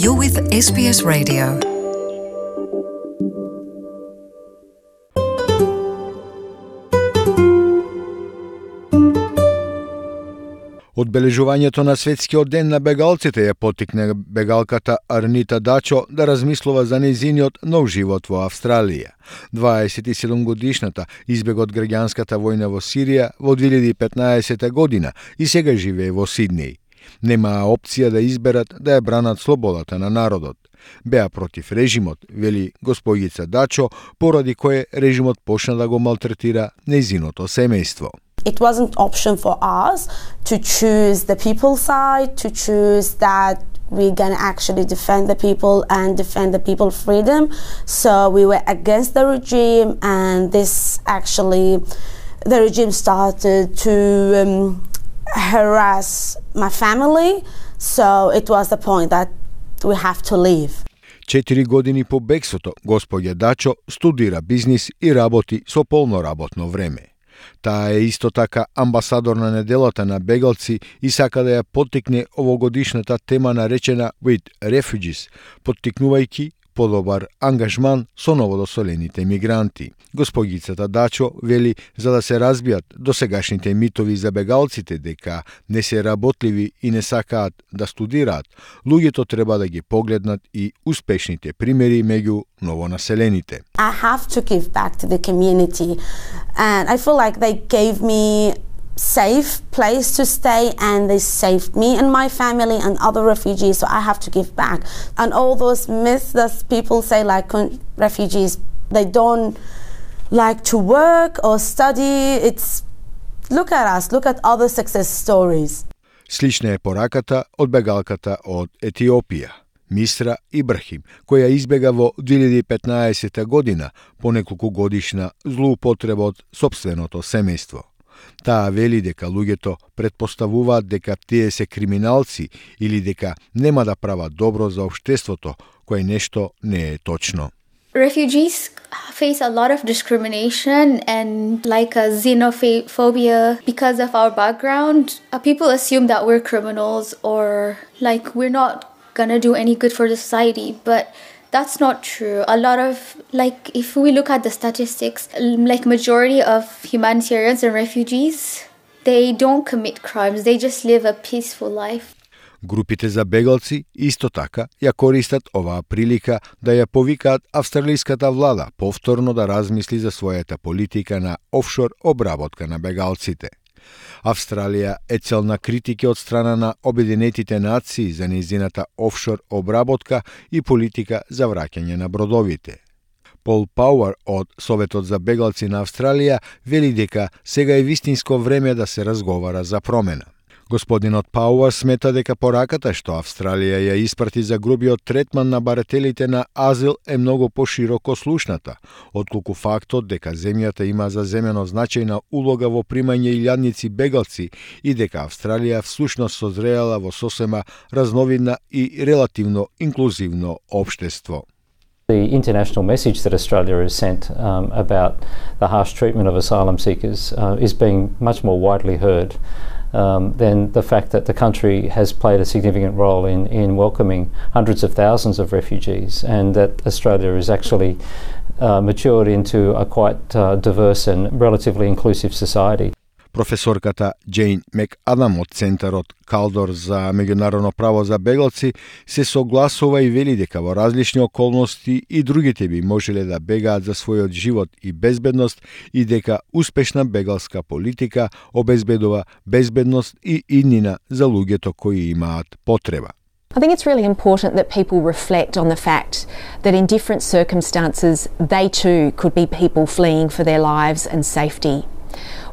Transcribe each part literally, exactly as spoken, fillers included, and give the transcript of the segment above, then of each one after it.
You're with S B S Radio. Одбележувањето на светскиот ден на бегалците ја поттикне бегалката Арнита Дачо да размислува за нејзиниот нов живот во Австралија. дваесет и седум годишната избега од граѓанската војна во Сирија во две илјади и петнаесета година и сега живее во Сиднеј. Немаа опција да изберат да ја бранат слободата на народот. Беа против режимот, вели господица Дачо, поради кое режимот почна да го малтретира нејзиното семејство. It wasn't an option for us to choose the people's side, to choose that we're going to actually defend the people and defend the people's freedom. So we were against the regime, and this actually, the regime started to um, harass my family. So it was the point that we have to leave. Четири години по бегството, господја Дачо студира бизнис и работи со полно работно време. Таа е исто така амбасадор на неделата на бегалци и сака да ја поттикне овогодишната тема наречена With Refugees, поттикнувајќи подобар ангажман со новодоселените мигранти. Господицата Дачо вели за да се разбијат досегашните митови за бегалците дека не се работливи и не сакаат да студираат, луѓето треба да ги погледнат и успешните примери меѓу новонаселените. I have to give back to the community, and I feel like they gave me safe place to stay, and they saved me and my family and other refugees, so I have to give back. And all those myths that people say, like refugees, they don't like to work or study, it's look at us, look at other success stories. Слична е пораката од бегалката од Етиопија, Мисра Ибрахим, која избега во две илјади и петнаесета година по неколку годишна злоупотреба од сопственото семејство. Таа вели дека луѓето предпоставуваат дека тие се криминалци или дека нема да прават добро за општеството, кое нешто не е точно. Refugees face a lot of discrimination and like a xenophobia because of our background. Uh, people assume that we're criminals or like we're not gonna do any good for the society, but that's not true. A lot of, like, if we look at the statistics, like majority of humanitarians and refugees, they don't commit crimes. They just live a peaceful life. Групите за бегалци исто така ја користат оваа прилика да ја повикаат австралиската влада повторно да размисли за својата политика на офшор обработка на бегалците. Австралија е цел на критики од страна на Обединетите нации за нејзината офшор обработка и политика за враќање на бродовите. Пол Пауер од Советот за бегалци на Австралија вели дека сега е вистинско време да се разговара за промена. Господинот Пауер смета дека пораката што Австралија ја испрати за грубиот третман на барателите на азил е многу пошироко слушната, отколку фактот дека земјата има заземено значајна улога во примање илјадници бегалци и дека Австралија всушност созреала во сосема разновидна и релативно инклузивно општество. The international message that Australia has sent um, about the harsh treatment of asylum seekers uh, is being much more widely heard um, than the fact that the country has played a significant role in, in welcoming hundreds of thousands of refugees, and that Australia is actually uh, matured into a quite uh, diverse and relatively inclusive society. Професорката Джейн Мекадам од Центарот Калдор за меѓународно право за бегалци се согласува и вели дека во различни околности и другите би можеле да бегаат за својот живот и безбедност и дека успешна бегалска политика обезбедува безбедност и иднина за луѓето кои имаат потреба. I think it's really important that people reflect on the fact that in different circumstances they too could be people fleeing for their lives and safety.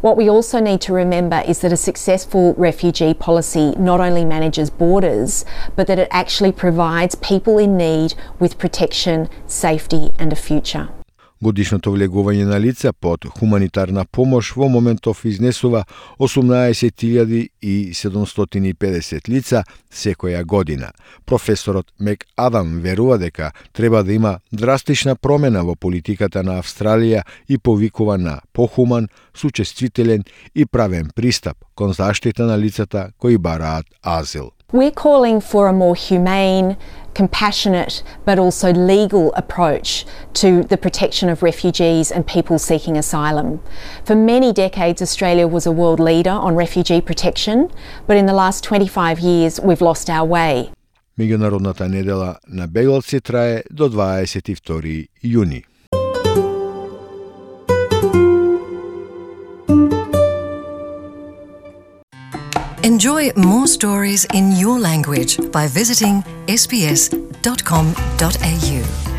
What we also need to remember is that a successful refugee policy not only manages borders, but that it actually provides people in need with protection, safety and a future. Годишното влегување на лица под хуманитарна помош во моментов изнесува осумнаесет илјади и седумстотини и педесет лица секоја година. Професорот Мек Адам верува дека треба да има драстична промена во политиката на Австралија и повикува на похуман, сучествителен и правен пристап кон заштита на лицата кои бараат азил. We're calling for a more humane, compassionate but also legal approach to the protection of refugees and people seeking asylum. For many decades, Australia was a world leader on refugee protection, but in the last twenty-five years we've lost our way. Меѓународната недела на бегалци трае до дваесет и втори јуни. Enjoy more stories in your language by visiting s b s dot com dot a u.